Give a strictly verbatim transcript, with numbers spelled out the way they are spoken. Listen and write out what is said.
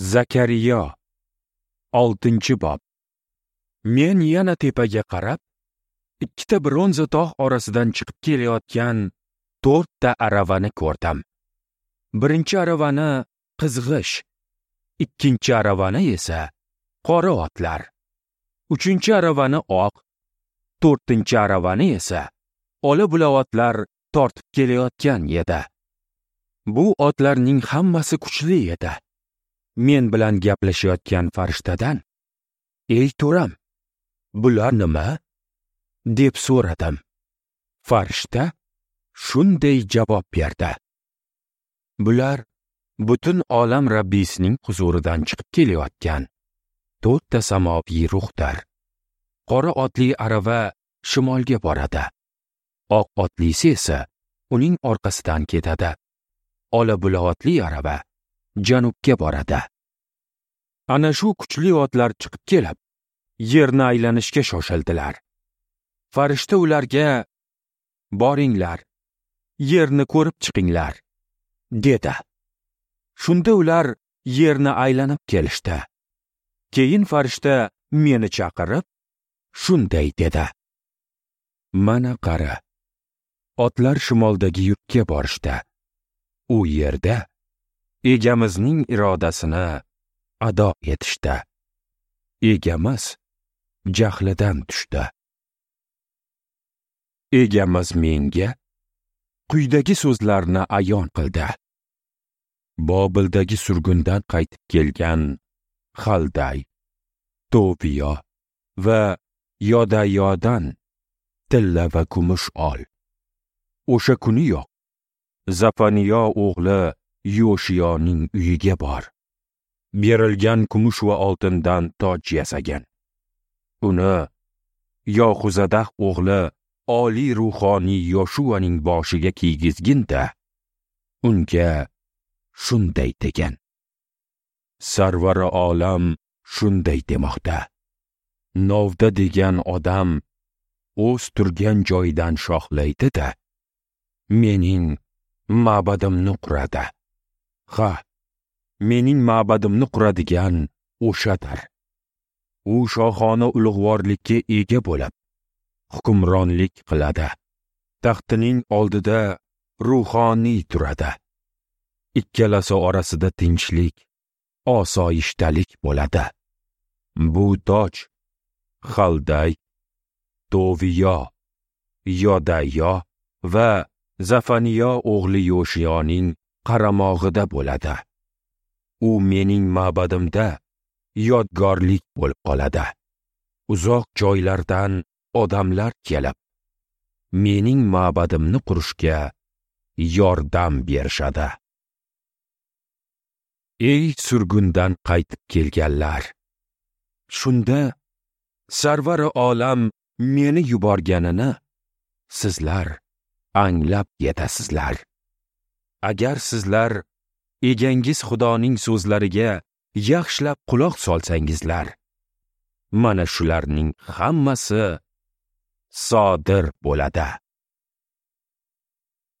Zakariyo, oltinchi bob. Men yana tepaga qarab, ikkita bronza tog' orasidan chiqib kelayotgan to'rtta aravani ko'rdim. Birinchi aravani qizg'ish, ikkinchi aravani esa qora otlar, uchinchi aravani oq, to'rtinchi aravani esa ola bula otlar tortib kelayotgan edi. Bu otlarning hammasi kuchli edi. Men bilan gaplashayotgan farishtadan: "Ey to'ram, bular nima?" deb so'radim. Farishta shunday javob berdi: "Bular butun olam Rabbisining huzuridan chiqib kelayotgan to'rtta samoviy ruhdir. Qora otli arava shimolga boradi. Oq otlisi esa uning orqasidan ketadi. Ola bula otli arava janubga boradi." Ana shu kuchli otlar chiqib kelib, yerni aylanishga shoshildilar. Farishta ularga: "Boringlar, yerni ko'rib chiqinglar", dedi. Shunda ular yerni aylanib kelishdi. Keyin farishta meni chaqirib, shunday dedi: "Mana qara, otlar shimoldagi yurtga borishdi. U yerda Egamizning irodasini ado etishdi. Egamiz jahlidan tushdi. Egamiz menga quyidagi so'zlarni ayon qildi: Bobildagi surgundan qaytib kelgan Xalday, Toviyo va Yodayodan tilla va kumush ol. O'sha kuniyoq Zafaniyo o'g'li Yoshiyoning uyiga bor. Berilgan kumush va oltindan toj yasagan. Uni Yoxuzadah o'g'li oliy ruhoniy Yoshuaning boshiga kiygizgin-da, unga shunday degan: Sarvari olam shunday demoqda: Novda degan odam o'z turgan joyidan shoxlaydi-da, mening ma'badimni quradi. Ha, mening ma'badimni quradigan o'shadir. U shohona ulug'vorlikka ega bo'lib, hukmronlik qiladi. Taxtining oldida ruhoniy turadi. Ikkalasi orasida tinchlik, osoyishtalik bo'ladi. Bu toj Xalday, Toviyo, Yodayo va Zafaniyo o'g'li Yoshiyoning qaramog'ida bo'ladi. U mening ma'badimda yodgorlik bo'lib qoladi. Uzoq joylardan odamlar kelib, mening ma'badimni qurishga yordam berishadi. Ey surgundan qaytib kelganlar! Shunda Sarvari olam meni yuborganini sizlar anglab yetasizlar. Agar sizlar egangiz Xudoning so'zlariga yaxshilab quloq solsangizlar, mana shularning hammasi sodir bo'ladi.